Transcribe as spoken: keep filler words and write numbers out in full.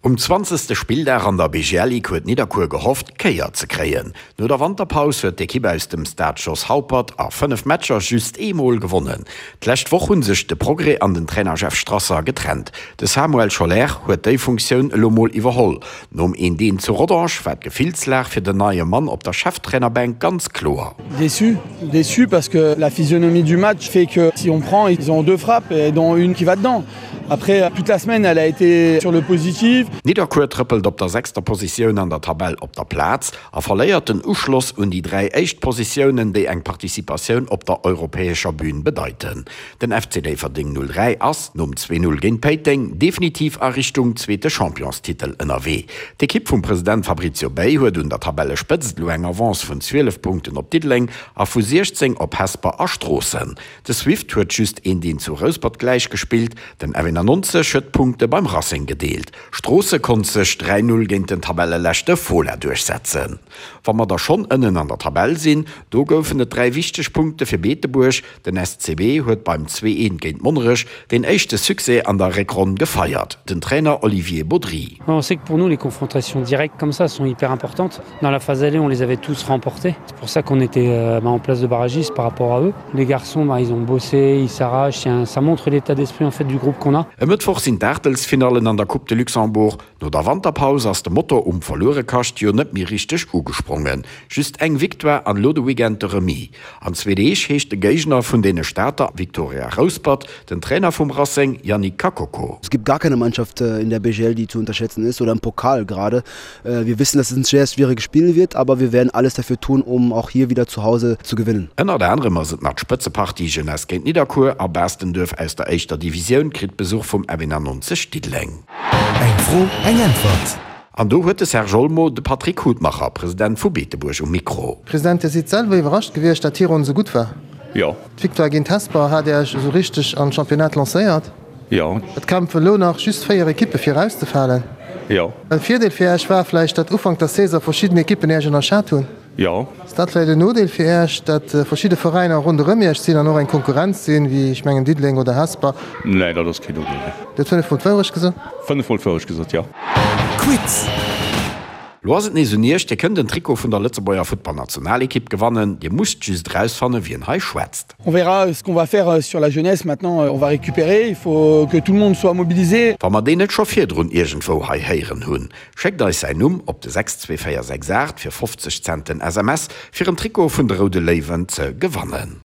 Um zwanzegste Spilldag an der B G L Ligue huet Nidderkuer gehofft, d'Kéier ze kréien. No der Wanterpaus huet d'Ekipp aus dem Stade Jos Haupert a fënnef Matcher just eemol gewonnen. D'lescht Woch hu sech de Progrès an den Trainer Jeff Strasser getrennt. De Samuel Scholer huet déi Funktioun elo mol iwwerholl. Nom eent eent zu Rodange war d'Gefillslag fir den neie Mann op der Cheftrainerbänk ganz kloer. Déçu, déçu parce que la physionomie du match fait que si on prend, ils ont deux frappes et dont une qui va dedans. Après, toute la semaine, elle a été sur le positif. Nidderkuer trëppelt op der sechster Positioun an der Tabell op der Plaz a verléiert den Uschloss un déi dräi éischt Positiounen, déi eng Participatioun op der europäescher Bün bedeiten. Den F C Déifferdeng null dräi ass nom zwee null géint Péiteng definitiv a Richtung zweete Championstitel ënnerwee. D'Ekipp vum President Fabrizio Bei huet un der Tabellespëtzt elo eng Avance vun zwielef Punkten op Diddeleng a vu siechzéng op Hesper a Stroossen. De Swift huet just eent eent zu Rouspert gläichgespillt, den F nonzeg huet d'Punkte beim Racing gedeelt. Stroosse konnt sech dräi null géint den Tabelleleschte Fola duerchsetzen. Wa mer da schonn ënnen an der Tabell sinn, do goufen et dräi wichteg Punkte fir Beetebuerg, Den S C B huet beim zwee eent géint Monnerech den éischte Succès an der Réckronn gefeiert. Den Trainer Olivier Baudry. On sait que pour nous, les confrontations directes comme ça sont hyper importantes. Dans la phase aller, on les avait tous remportées. C'est pour ça qu'on était euh, bah, en place de barragiste par rapport à eux. Les garçons, bah, ils ont bossé, ils s'arrachent. Ça montre l'état d'esprit en fait du groupe qu'on a. E Mëttwoch sinn d'Aachtelsfinallen an der Coupe de Luxembourg. No der Wanterpaus ass de Motor um Verluerekascht jo net méi richteg ugesprongen. Just eng Victoire an elo de Weekend de Remis. An zwee Deeg heescht de Géigner vun deene Stater Victoria Rouspert, den Trainer vum Racing Yannick Kakoko. Es gibt gar keine Mannschaft äh, in der B G L, die zu unterschätzen ist oder im Pokal gerade. Äh, wir wissen, dass es ein sehr schwieriges Spiel wird, aber wir werden alles dafür tun, um auch hier wieder zu Hause zu gewinnen. Ënnert anerem ass et nach d'Spëtzepartie Jeunesse géint Nidderkuer a Baastenduerf aus der éischter Divisioun kritt Besuch vum F nonzeg Diddeleng. Eng Fro, eng Äntwert. An do huet de Serge Olmo de Patrick Hutmacher, President vu Beetebuerg um Mikro. President, Dir sidd selwer iwwerrascht gewiescht, datt d'Hironn esou gutt war. Jo. D'Victoire géint Hesper hat Iech esou richteg an d'Championnat lancéiert. Jo. Et kämpfen elo nach just véier Ekippe fir erauszefalen. Jo. E Virdeel fir Iech war vläicht, datt Ufank der Saison verschidden Ekippen Iech ënnerschat hunn. Jo. Ass dat vläicht en Nodeel fir Iech, datt verschidde Veräiner ronderëm Iech sinn an och eng Konkurrenz sinn, wéi ech mengen Diddeleng oder Hesper? Nee, dat ass keen Nodeel. Dir hutt fënnef Mol d'Wourecht gesot? Fënnef Mol d'Wourecht gesot, jo. Quiz. Lo ass et nees un Iech, Dir kënnt en Trikot vun der Lëtzebuerger Futtballnationalekipp gewannen. Dir musst just erausfannen, wien hei schwätzt. On verra ce qu'on va faire sur la jeunesse maintenant. On va récupérer, il faut que tout le monde soit mobilisé. Wa mer deen net scho virdrun iergendwou hei héieren hunn, schéckt eis säin Numm op de sechs zwee véier sechs aacht fir fofzeg Cent den S M S, fir en Trikot vun de Roude Léiwen ze gewannen.